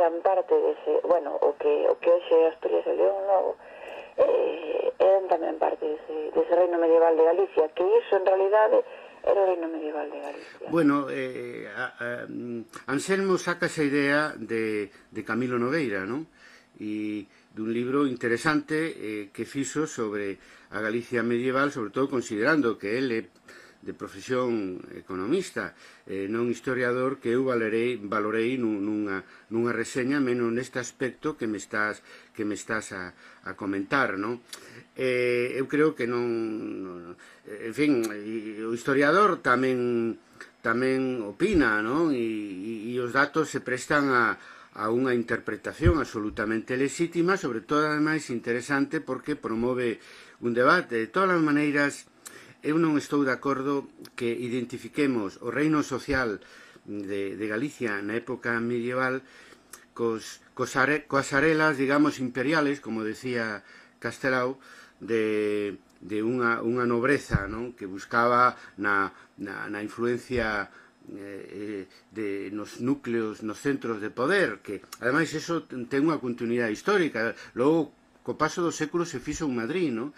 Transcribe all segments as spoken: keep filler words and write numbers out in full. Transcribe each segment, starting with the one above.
eran parte dese, bueno, o que o que hoxe Asturias e León logo, eh, eran tamén parte dese, dese reino medieval de Galicia, que iso en realidade era o reino medieval de Galicia. Bueno, eh, a, a, Anselmo saca esa idea de, de Camilo Nogueira, non? E dun libro interesante eh, que fixo sobre a Galicia medieval, sobre todo considerando que ele de profesión economista, eh, non historiador, que eu valorei, valorei nunha, nunha reseña menos neste aspecto que me estás, que me estás a, a comentar, non? Eh, eu creo que non, non en fin, o historiador tamén tamén opina, non? E, e os datos se prestan a, a unha interpretación absolutamente legítima, sobre todo, ademais, interesante porque promove un debate. De todas as maneiras, eu non estou de acordo que identifiquemos o reino social de, de Galicia na época medieval cos, cos are, coas arelas, digamos, imperiales, como decía Castelao, de, de unha, unha nobreza, non? Que buscaba na, na, na influencia eh, de, nos núcleos, nos centros de poder, que ademais eso ten unha continuidade histórica. Logo, co paso dos séculos se fixo en Madrid, non?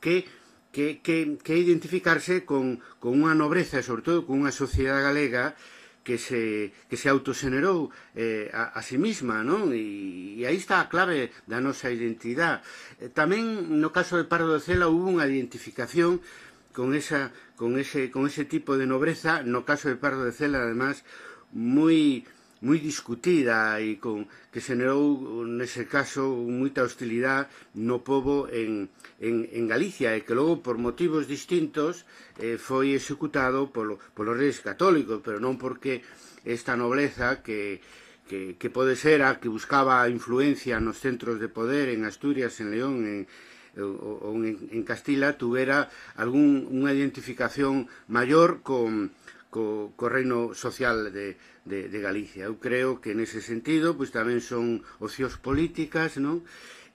Que Que, que, que identificarse con, con unha nobreza e, sobre todo, con unha sociedade galega que se, que se autoxenerou eh, a, a sí misma, non? E, e aí está a clave da nosa identidade. Eh, tamén, no caso de Pardo de Cela, hubo unha identificación con, esa, con, ese, con ese tipo de nobreza, no caso de Pardo de Cela, además, moi moi discutida e con, que xenerou, nese caso, moita hostilidade no pobo en, en, en Galicia e que logo, por motivos distintos, eh, foi executado polo, polos reis católicos, pero non porque esta nobleza que, que, que pode ser a que buscaba influencia nos centros de poder en Asturias, en León, en, ou en, en Castilla, tuvera algún, unha identificación maior con co, co reino social de, de, de Galicia. Eu creo que nese sentido pois tamén son opcións políticas, non?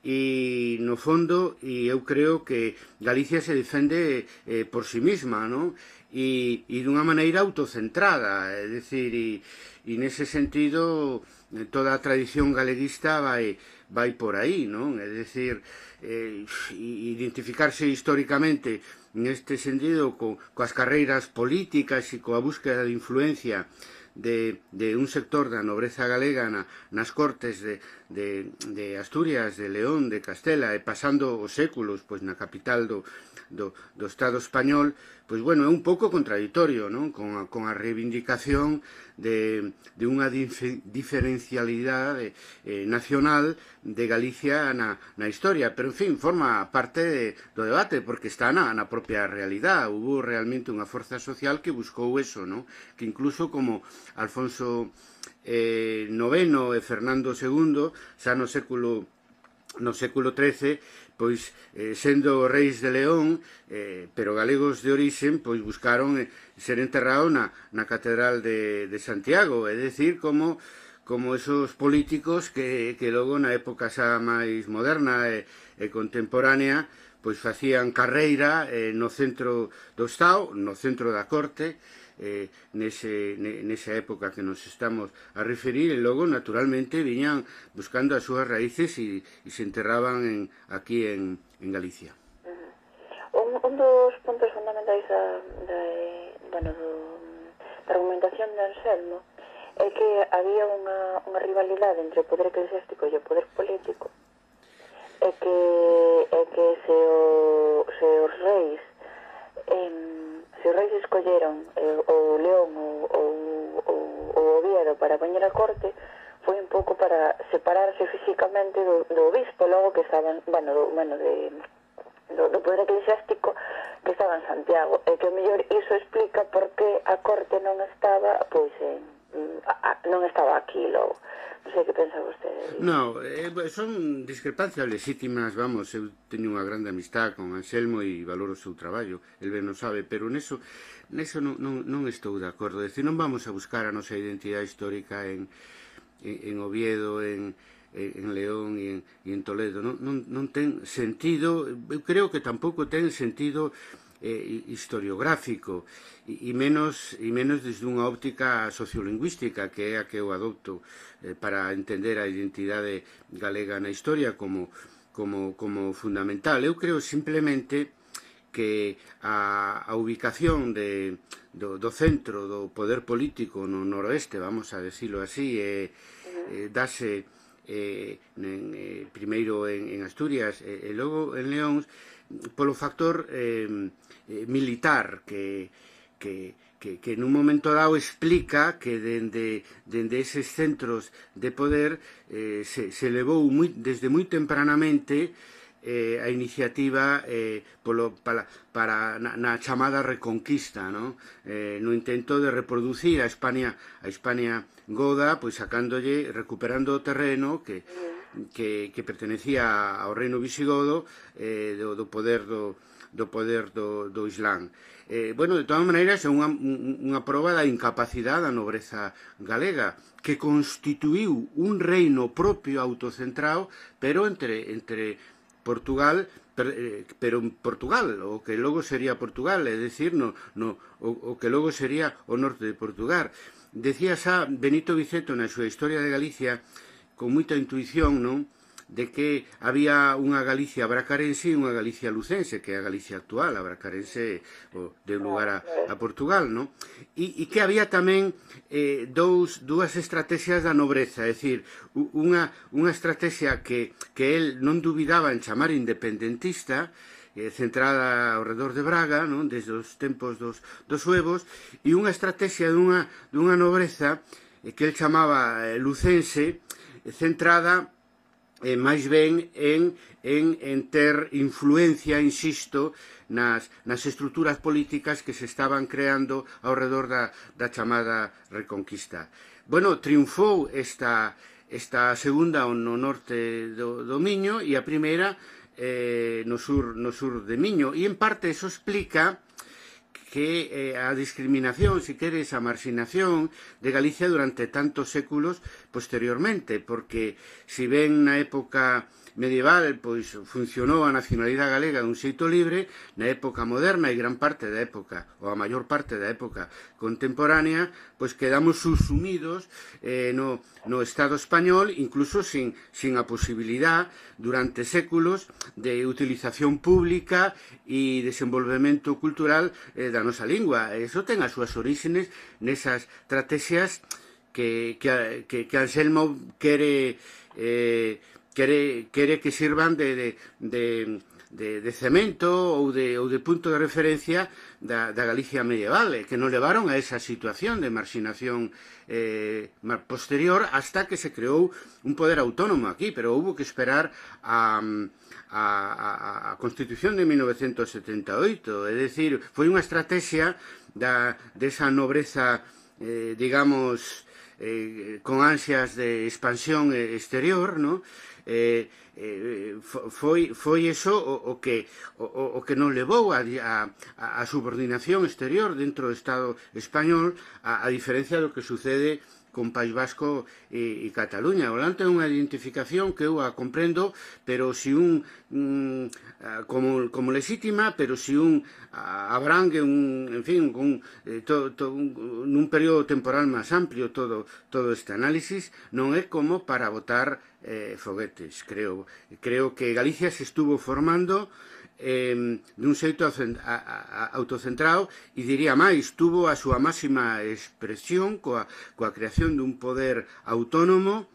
E no fondo, e eu creo que Galicia se defende eh, por si sí mesma, non? E, e dunha maneira autocentrada, é dicir, e, e nese sentido toda a tradición galeguista vai, vai por aí, non? É dicir, eh, identificarse históricamente neste sentido co, coas carreiras políticas e coa búsqueda de influencia de, de un sector da nobreza galega na, nas cortes de, de, de Asturias, de León, de Castela e pasando os séculos pois, na capital do, do, do Estado español, pois bueno, é un pouco contradictorio, non? Con, a, con a reivindicación de, de unha dif diferencialidade eh, nacional de Galicia na, na historia, pero en fin, forma parte de, do debate, porque está na, na propia realidade. Hubo realmente unha forza social que buscou eso, non? Que incluso como Alfonso eh, noveno e Fernando segundo, xa no século no século trece, pois, eh, sendo reis de León, eh, pero galegos de orixen, pois buscaron eh, ser enterrados na, na Catedral de, de Santiago, é dicir, como, como esos políticos que, que logo na época xa máis moderna e, e contemporánea, pois facían carreira eh, no centro do Estado, no centro da corte, eh, nese, nesa época que nos estamos a referir, e logo, naturalmente, viñan buscando as súas raíces e, e se enterraban en, aquí en, en Galicia. Uh-huh. un, un dos puntos fundamentais da, da, bueno, do, da argumentación de Anselmo é que había unha, unha rivalidade entre o poder eclesiástico e o poder político, e que, é que se, o, se os reis em, se os reis escolleron eh, o León ou o Oviedo para poñer a corte, foi un pouco para separarse físicamente do, do obispo, logo que estaban, bueno, do, bueno de, do, do poder eclesiástico que estaba en Santiago, e que o mellor iso explica por que a corte non estaba, pois, en, a, a, non estaba aquí logo. Non sei que pensa vostede. No, eh, son discrepancias legítimas, vamos, eu teño unha grande amistad con Anselmo e valoro o seu traballo, el ben non sabe, pero neso, neso non, non, non estou de acordo. É dicir, non vamos a buscar a nosa identidade histórica en, en, en Oviedo, en, en León e en, e en Toledo. Non, non, non ten sentido, eu creo que tampouco ten sentido eh, historiográfico e, e menos e menos desde unha óptica sociolingüística, que é a que eu adopto eh, para entender a identidade galega na historia como, como, como fundamental. Eu creo simplemente que a, a ubicación de, do, do centro do poder político no noroeste, vamos a decirlo así, eh, eh, dase eh, en, eh, primeiro en, en Asturias e eh, logo en León, polo factor eh, eh, militar que, que, que, que nun momento dado explica que dende, dende eses centros de poder eh, se, se levou muy, desde moi tempranamente eh, a iniciativa eh, polo, para, para na, na chamada reconquista, ¿no? Eh, no intento de reproducir a España a España goda, pois sacándolle, recuperando o terreno que, que, que pertenecía ao reino visigodo eh, do, do poder do, do poder do, do Islán. Eh, bueno, de todas maneiras, é unha, unha proba da incapacidade da nobreza galega, que constituiu un reino propio autocentrado, pero entre, entre Portugal, pero en Portugal, o que logo sería Portugal, é dicir, no, no, o, o que logo sería o norte de Portugal. Decía xa Benito Viceto na súa Historia de Galicia, con moita intuición, non?, de que había unha Galicia bracarense e unha Galicia lucense, que é a Galicia actual. A bracarense o, deu lugar a, a Portugal, non? E, e que había tamén eh, dous, dúas estrategias da nobreza, é dicir, unha, unha estrategia que, que el non dubidaba en chamar independentista, eh, centrada ao redor de Braga, non?, desde os tempos dos, dos suevos, e unha estrategia dunha, dunha nobreza eh, que el chamaba eh, lucense, eh, centrada eh, máis ben en, en, en ter influencia, insisto, nas, nas estruturas políticas que se estaban creando ao redor da, da chamada Reconquista. Bueno, triunfou esta, esta segunda no norte do, do Miño e a primeira eh, no, sur, no sur de Miño, e en parte eso explica que eh, a discriminación, si queres, a marxinación de Galicia durante tantos séculos posteriormente, porque si ben na época medieval pois funcionou a nacionalidade galega dun xeito libre, na época moderna e gran parte da época, ou a maior parte da época contemporánea, pois quedamos subsumidos eh, no, no Estado español, incluso sin, sin a posibilidad durante séculos de utilización pública e desenvolvemento cultural eh, da nosa lingua. Eso ten as súas orígenes nesas estrategias que, que, que, que Anselmo quere eh, Quere, quere que sirvan de, de, de, de, de cemento ou de, ou de punto de referencia da, da Galicia medieval, eh, que nos levaron a esa situación de marxinación eh, posterior hasta que se creou un poder autónomo aquí, pero hubo que esperar a, a, a, a Constitución de mil novecientos setenta e oito, é dicir, foi unha estrategia da, desa nobreza, eh, digamos, eh, con ansias de expansión exterior, ¿no? Eh, eh, foi, foi eso o, o, que, o, o que nos levou a, a, a subordinación exterior dentro do Estado español, a, a diferencia do que sucede con País Vasco e, e Cataluña. O Holanda é unha identificación que eu a comprendo, pero si un mm, como, como legítima, pero si un a, abrangue un, en fin, un, eh, to, to, un, nun período temporal máis amplio todo, todo este análisis, non é como para botar eh, foguetes, creo. Creo que Galicia se estuvo formando Eh, dun xeito autocentrado e diría máis, tuvo a súa máxima expresión coa, coa creación dun poder autónomo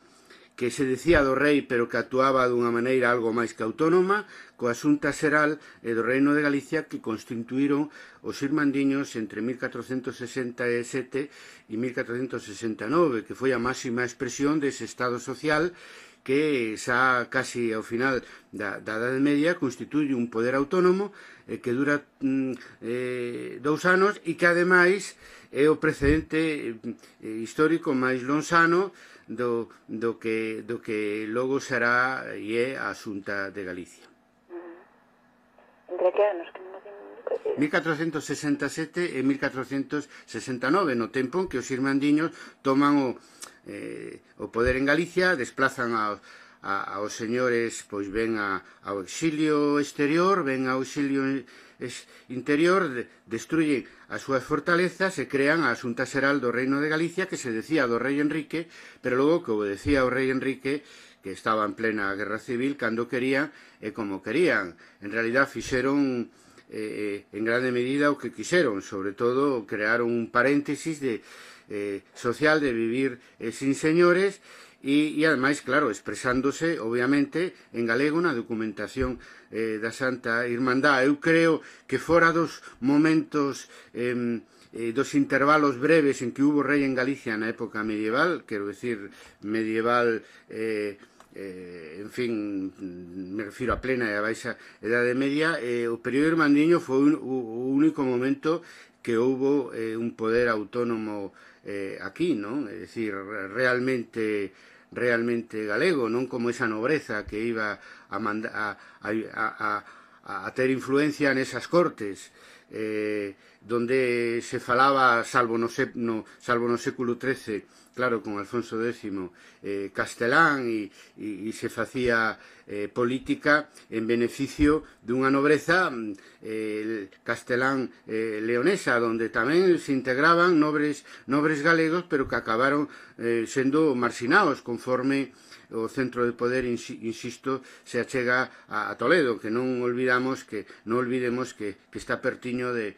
que se decía do rei pero que actuaba dunha maneira algo máis que autónoma, coa Xunta Xeral e do Reino de Galicia que constituíron os irmandiños entre mil catrocentos sesenta e sete e mil catrocentos sesenta e nove, que foi a máxima expresión dese Estado social que xa casi ao final da, da Edade Media constituye un poder autónomo eh, que dura mm, eh, dous anos e que ademais é o precedente eh, histórico máis lonxano do, do, que, do que logo será e é a Xunta de Galicia. Entre que anos? Que non digo mil catrocentos sesenta e sete e mil catrocentos sesenta e nove, no tempo en que os irmandiños toman o Eh, o poder en Galicia, desplazan aos, a, aos señores pois ven a, ao exilio exterior, ven ao exilio interior, de, destruyen as súas fortalezas e crean a Xunta Xeral do Reino de Galicia, que se decía do rei Enrique, pero logo que obedecía ao rei Enrique, que estaba en plena guerra civil, cando querían e como querían. En realidad fixeron eh, en grande medida o que quixeron, sobre todo crearon un paréntesis de, eh, social de vivir eh, sin señores, e, e ademais, claro, expresándose, obviamente, en galego na documentación eh, da Santa Irmandad. Eu creo que fora dos momentos, eh, eh, dos intervalos breves en que hubo rei en Galicia na época medieval, quero decir, medieval, eh, eh, en fin, me refiro a plena e a baixa Edade Media, eh, o período irmandiño foi un, o único momento que houbo eh, un poder autónomo eh, aquí, non? É dicir, realmente realmente galego, non como esa nobreza que iba a, manda, a, a, a, a ter influencia nesas cortes, eh, donde se falaba, salvo no, no, salvo no século trece, claro, con Alfonso décimo, eh, castelán, e, e, e se facía eh, política en beneficio dunha nobreza eh, castelán eh, leonesa, donde tamén se integraban nobres, nobres galegos, pero que acabaron eh, sendo marxinados conforme o centro de poder, insisto, se achega a, a Toledo, que non olvidamos que non olvidemos que, que está pertiño de